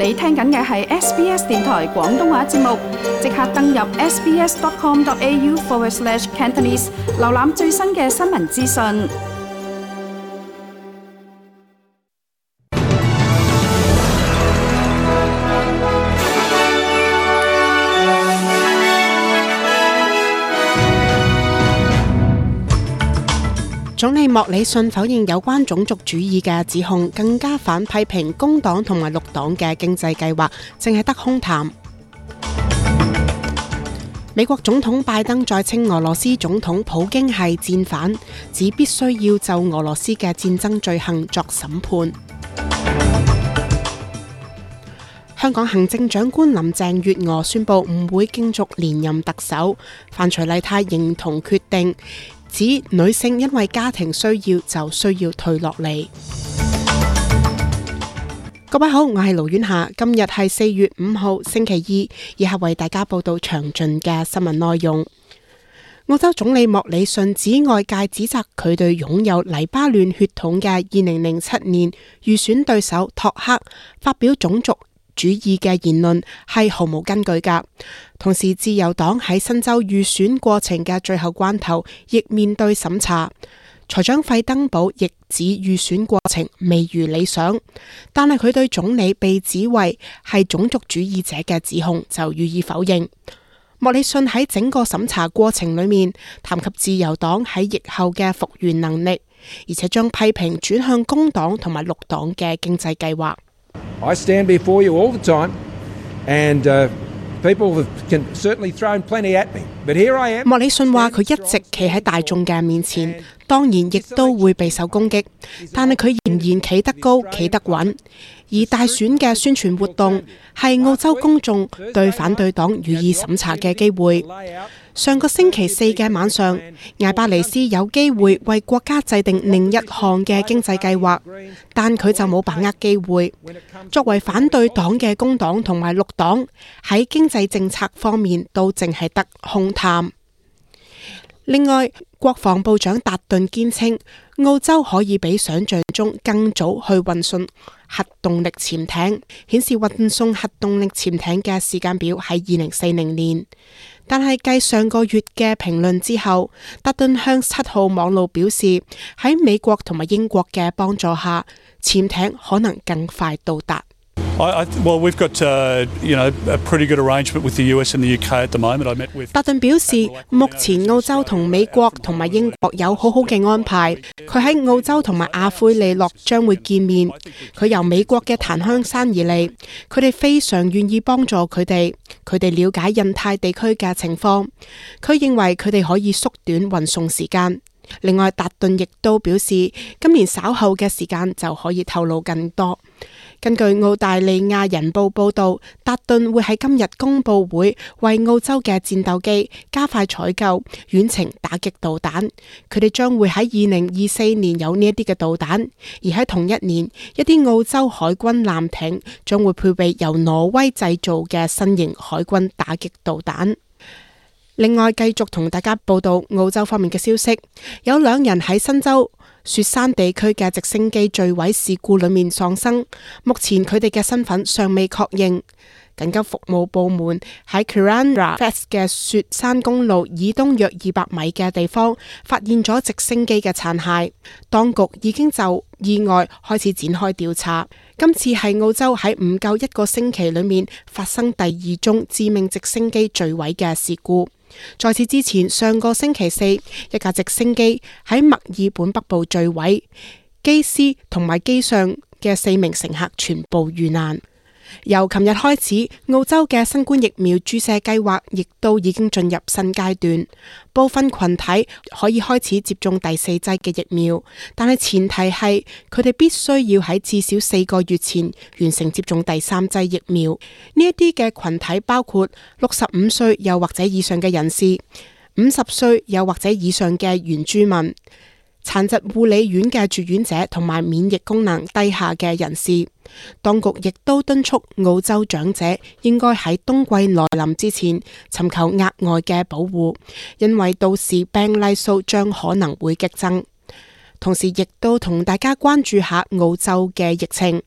你聽緊嘅係 SBS 電台廣東話節目，即刻登入 sbs.com.au/Cantonese 瀏覽最新嘅新聞資訊。總理莫里遜否認有關種族主義嘅指控，更加反批評工黨同埋綠黨嘅經濟計劃淨係得空談。美國總統拜登再稱俄羅斯總統普京係戰犯，指必須要就俄羅斯嘅戰爭罪行作審判。香港行政長官林鄭月娥宣布唔會競逐連任特首，范徐麗泰認同決定，指女性因為家庭需要就需要退落嚟。各位好，我係盧婉霞，今日係4月5號星期二，以下為大家報道詳盡嘅新聞內容。澳洲總理莫里遜指外界指責佢對擁有黎巴嫩血統嘅2007年預選對手托克發表種族主義嘅言論係毫無根據㗎。同時，自由黨喺新州預選過程嘅最後關頭，亦面對審查。財長費登堡亦指預選過程未如理想，但係佢對總理被指為係種族主義者嘅指控就予以否認。莫里遜喺整個審查過程裏面談及自由黨喺疫後嘅復原能力，而且將批評轉向工黨同埋綠黨嘅經濟計劃。I stand before you all the time, and people can certainly throw plenty at me, but here I am. 莫里遜話佢一直企喺大眾嘅面前，當然亦都會備受攻擊，但係佢仍然企得高、企得穩。而大選嘅宣傳活動係澳洲公眾對反對黨予以審查嘅機會。上個星期4嘅晚上，艾巴尼斯有機會為國家制定另一項嘅經濟計劃，但佢就冇把握機會。作為反對黨嘅工黨同埋綠黨喺經濟政策方面都淨係得空談。另外，國防部長達頓堅稱，澳洲可以比想象中更早去運送核動力潛艇，顯示運送核動力潛艇嘅時間表係2040年。但係繼上個月嘅評論之後，達頓向7號網路表示，喺美國同埋英國嘅幫助下，潛艇可能更快到達。Well, we've got a pretty good arrangement with the US and the UK at the moment. I met with 達頓表示，目前澳洲同美國同埋英國有好好嘅安排。佢喺澳洲同埋阿奎利諾將會見面。佢由美國嘅檀香山而嚟，佢哋非常願意幫助佢哋。佢哋了解印太地區嘅情況。佢認為佢哋可以縮短運送時間。另外，達頓亦都表示，今年稍後嘅時間就可以透露更多。根據澳大利亞人報報道，達頓會喺今日公佈會為澳洲嘅戰鬥機加快採購遠程打擊導彈。佢哋將會喺2024年有呢一啲嘅導彈，而喺同一年，一啲澳洲海軍艦艇將會配備由挪威製造嘅新型海軍打擊導彈。另外，繼續同大家報道澳洲方面嘅消息，有2人喺新州雪山地區嘅直升機墜毀事故裏面喪生，目前佢哋嘅身份尚未確認。緊急服務部門喺 Kuranda Fest 嘅雪山公路以東約200米嘅地方發現咗直升機嘅殘骸，當局已經就意外開始展開調查。今次係澳洲喺唔夠1個星期裏面發生第2宗致命直升機墜毀嘅事故。在此之前，上個星期4，一架直升機喺墨爾本北部墜毀，機師同埋機上嘅4名乘客全部遇難。由琴日開始，澳洲嘅新冠疫苗注射計劃亦都已經進入新階段，部分群體可以開始接種第4劑嘅疫苗，但係前提係佢哋必須要喺至少4個月前完成接種第3劑疫苗。呢一啲嘅群體包括65歲又或者以上嘅人士、50歲又或者以上嘅原住民、殘疾護理院嘅住院者同埋免疫功能低下嘅人士。當局亦都敦促澳洲長者應該喺冬季來臨之前尋求額外嘅保護，因為到時病例數將可能會激增。同時亦都同大家關注下澳洲嘅疫情。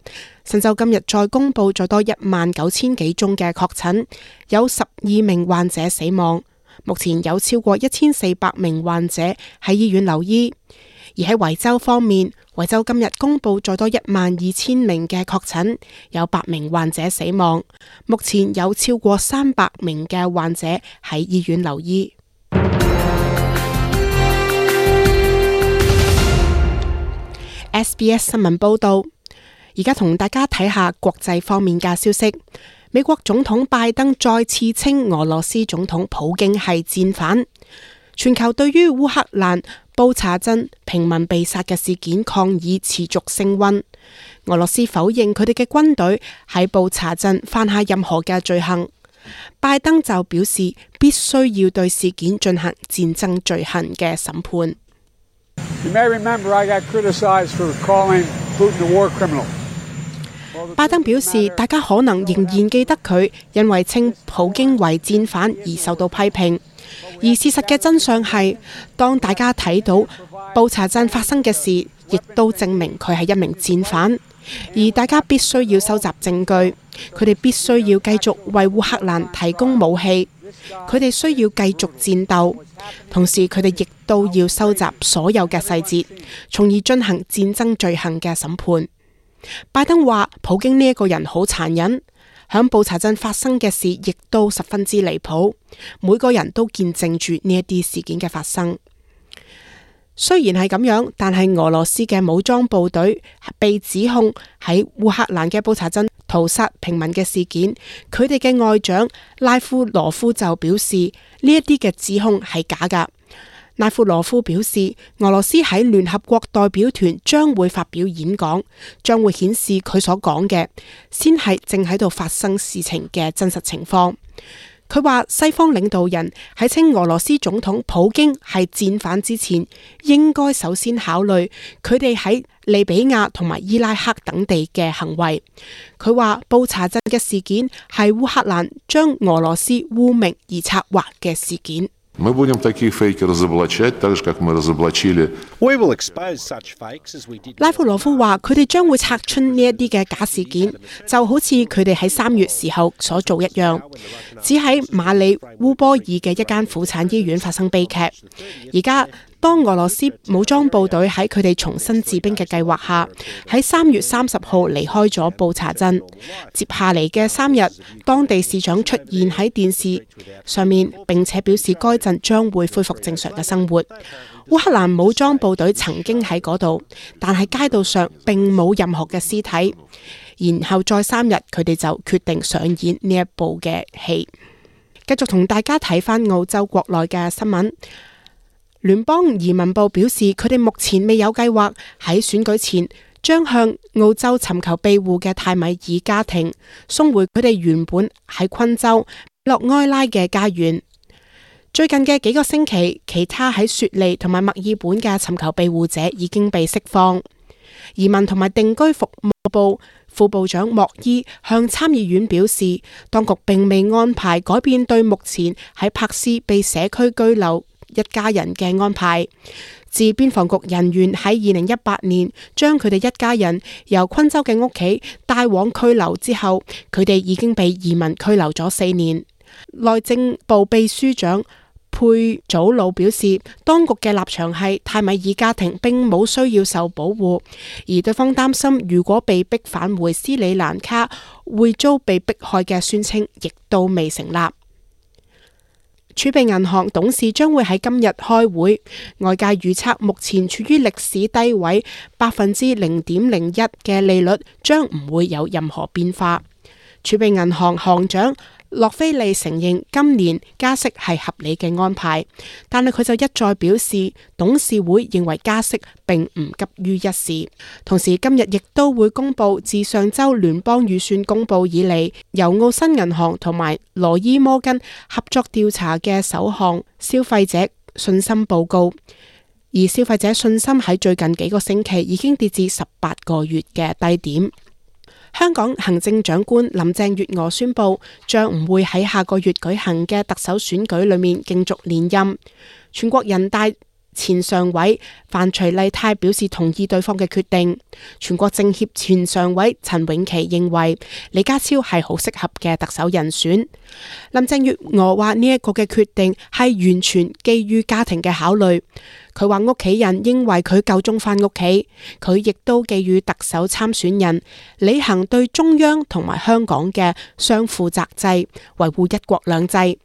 新州今日再公布再多19000幾宗嘅確診，有12名患者死亡。目前有超過1400名患者喺醫院留醫。而喺維州方面，維州今日公布再多12000名嘅確診，有8名患者死亡。目前有超過300名嘅患者喺醫院留醫。SBS 新聞報道，而家同大家睇下國際方面嘅消息。美國總統拜登再次稱俄羅斯總統普京係戰犯。全球對於烏克蘭布查鎮平民被殺嘅事件抗議持續升溫。俄羅斯否認佢哋嘅軍隊喺布查鎮犯下任何嘅罪行。拜登就表示必須要對事件進行戰爭罪行嘅審判。You may remember I got criticized for calling Putin a war criminal. 拜登表示，大家可能仍然記得佢因為稱普京為戰犯而受到批評。而事實嘅真相係，當大家睇到布查鎮發生嘅事，亦都證明佢係一名戰犯。而大家必須要收集證據，佢哋必須要繼續為烏克蘭提供武器，佢哋需要繼續戰鬥，同時佢哋亦都要收集所有嘅細節，從而進行戰爭罪行嘅審判。拜登話普京呢一個人好殘忍，響布查鎮發生嘅事亦都十分之離譜，每個人都見證住呢一啲事件嘅發生。雖然係咁樣，但係俄羅斯嘅武裝部隊被指控喺烏克蘭嘅布查鎮屠殺平民嘅事件，佢哋嘅外長拉夫羅夫就表示呢一啲嘅指控係假㗎。拉夫羅夫表示，俄羅斯喺聯合國代表團將會發表演講，將會顯示佢所講嘅先係正喺度發生事情嘅真實情況。佢話西方領導人喺稱俄羅斯總統普京係戰犯之前，應該首先考慮佢哋喺利比亞同埋伊拉克等地嘅行為。佢話布查鎮嘅事件係烏克蘭將俄羅斯污名而策劃嘅事件。We will expose such fakes as we did. 拉夫羅夫話：佢哋將會拆穿呢一啲嘅假事件，就好似佢哋喺3月時候所做一樣。只喺馬里烏波爾嘅一間婦產醫院發生悲劇。而家當俄羅斯武裝部隊喺佢哋重新治兵嘅計劃下，喺3月30號離開咗布查鎮。接下嚟嘅3日，當地市長出現喺電視上面，並且表示該鎮將會恢復正常嘅生活。烏克蘭武裝部隊曾經喺嗰度，但係街道上並冇任何嘅屍體。然後再3日，佢哋就決定上演呢一部嘅戲。繼續同大家睇返澳洲國內嘅新聞。聯邦移民部表示，佢哋目前未有計劃喺選舉前將向澳洲尋求庇護嘅泰米爾家庭送回佢哋原本喺昆州洛埃拉嘅家園。最近嘅幾個星期，其他喺雪梨同埋墨爾本嘅尋求庇護者已經被釋放。移民同埋定居服務部副部長莫伊向參議院表示，當局並未安排改變對目前喺柏斯被社區居留一家人嘅安排。自邊防局人員喺2018年將佢哋一家人由昆州嘅屋企帶往拘留之後，佢哋已經被移民拘留咗4年。內政部秘書長佩祖魯表示，當局嘅立場係泰米爾家庭並冇需要受保護，而對方擔心如果被逼返回斯里蘭卡會遭被迫害嘅宣稱亦都未成立。儲備銀行董事將會喺今日開會，外界預測目前處於歷史低位0.01%嘅利率將唔會有任何變化。儲備銀行行長洛菲利承認今年加息係合理嘅安排，但係佢就一再表示，董事會認為加息並唔急於一時。同時今日亦都會公布自上週聯邦預算公布以嚟，由澳新銀行同埋羅伊摩根合作調查嘅首項消費者信心報告。而消費者信心喺最近幾個星期已經跌至18個月嘅低點。香港行政長官林鄭月娥宣布，將唔會喺下個月舉行嘅特首選舉裏面競逐連任。全國人大前常委范徐麗泰表示同意對方嘅決定。全國政協前常委陳永琪認為李家超係好適合嘅特首人選。林鄭月娥話呢一個嘅決定係完全基於家庭嘅考慮。佢話屋企人認為佢夠鐘返屋企，佢亦都寄予特首參選人履行對中央同埋香港嘅雙負責制，維護一國兩制。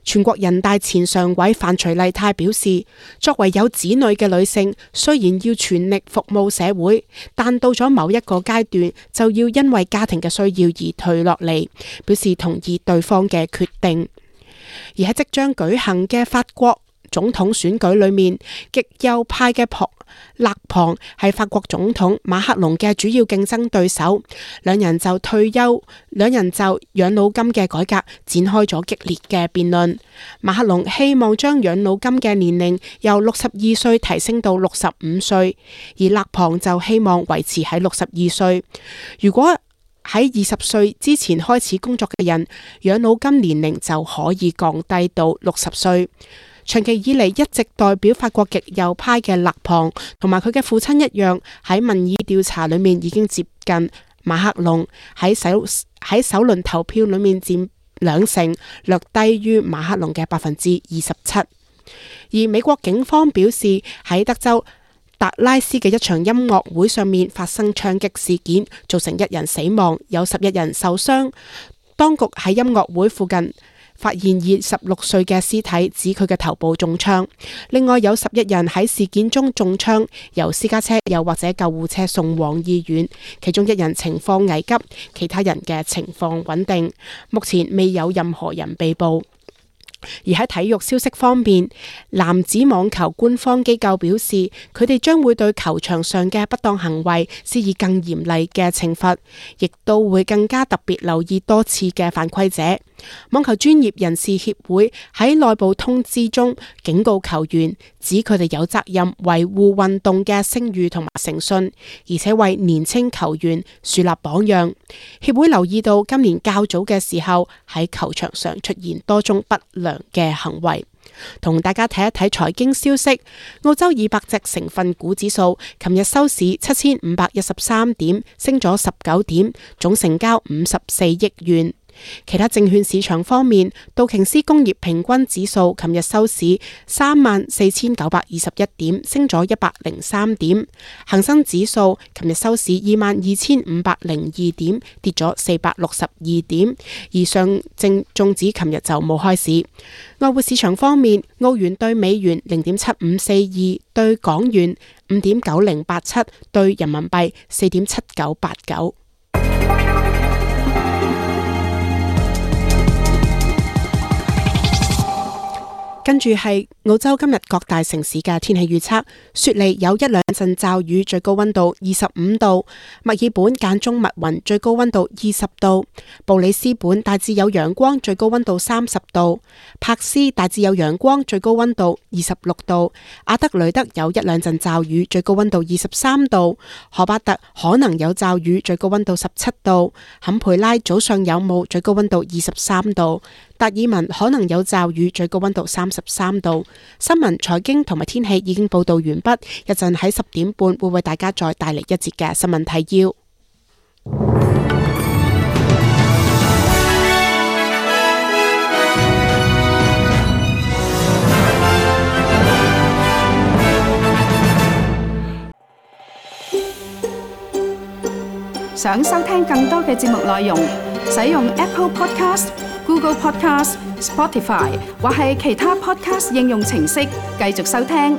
全國人大前常委范徐麗泰表示，作為有子女嘅女性，雖然要全力服務社會，但到咗某一個階段，就要因為家庭嘅需要而退落嚟，表示同意對方嘅決定。而喺即將舉行嘅法國總統選舉裏面，極右派嘅勒龐係法國總統馬克龍嘅主要競爭對手，兩人就養老金嘅改革展開咗激烈嘅辯論。馬克龍希望將養老金嘅年齡由62歲提升到65歲，而勒龐就希望維持喺62歲。如果喺20歲之前開始工作嘅人，養老金年齡就可以降低到60歲。長期以嚟一直代表法國極右派嘅勒龐同埋佢嘅父親一樣，喺民意調查裏面已經接近馬克龍，喺首輪投票裏面佔2成，略低於馬克龍嘅27%。而美國警方表示，喺德州達拉斯嘅一場音樂會上面發生槍擊事件，造成1人死亡，有11人受傷。當局喺音樂會附近發現26歲嘅屍體，指佢嘅頭部中槍。另外有11人喺事件中中槍，由私家車又或者救護車送往醫院，其中1人情況危急，其他人嘅情況穩定。目前未有任何人被捕。而喺體育消息方面，男子網球官方機構表示，佢哋將會對球場上嘅不當行為施以更嚴厲嘅懲罰，亦都會更加特別留意多次嘅犯規者。網球專業人士協會喺內部通知中警告球員，指佢哋有責任維護運動嘅聲譽同埋誠信，而且為年輕球員樹立榜樣。協會留意到今年較早嘅時候喺球場上出現多宗不良嘅行為。同大家睇一睇財經消息，澳洲200隻成分股指數琴日收市7513點，升咗19點，總成交54億元。其他證券市場方面，道瓊斯工業平均指數琴日收市34921點，升咗103點；恒生指數琴日收市22502點，跌咗462點。而上證綜指琴日就冇開市。外匯市場方面，澳元對美元0.7542，對港元5.9087，對人民幣4.7989。跟住係澳洲今日各大城市嘅天氣預測：雪梨有1-2陣驟雨，最高溫度25度；墨爾本間中密雲，最高溫度20度；布里斯本大致有陽光，最高溫度30度；柏斯大致有陽光，最高溫度26度；阿德雷德有1-2陣驟雨，最高溫度23度；荷巴特可能有驟雨，最高溫度17度；坎培拉早上有霧，最高溫度23度；達爾文可能有驟雨，最高溫度33度。新聞、財經同埋天氣已經報道完畢，一陣喺10點半會為大家再帶嚟一節嘅新聞提要。想收聽更多嘅節目內容，使用 Apple Podcast、Google Podcast、Spotify 或係其他 Podcast 應用程式繼續收聽。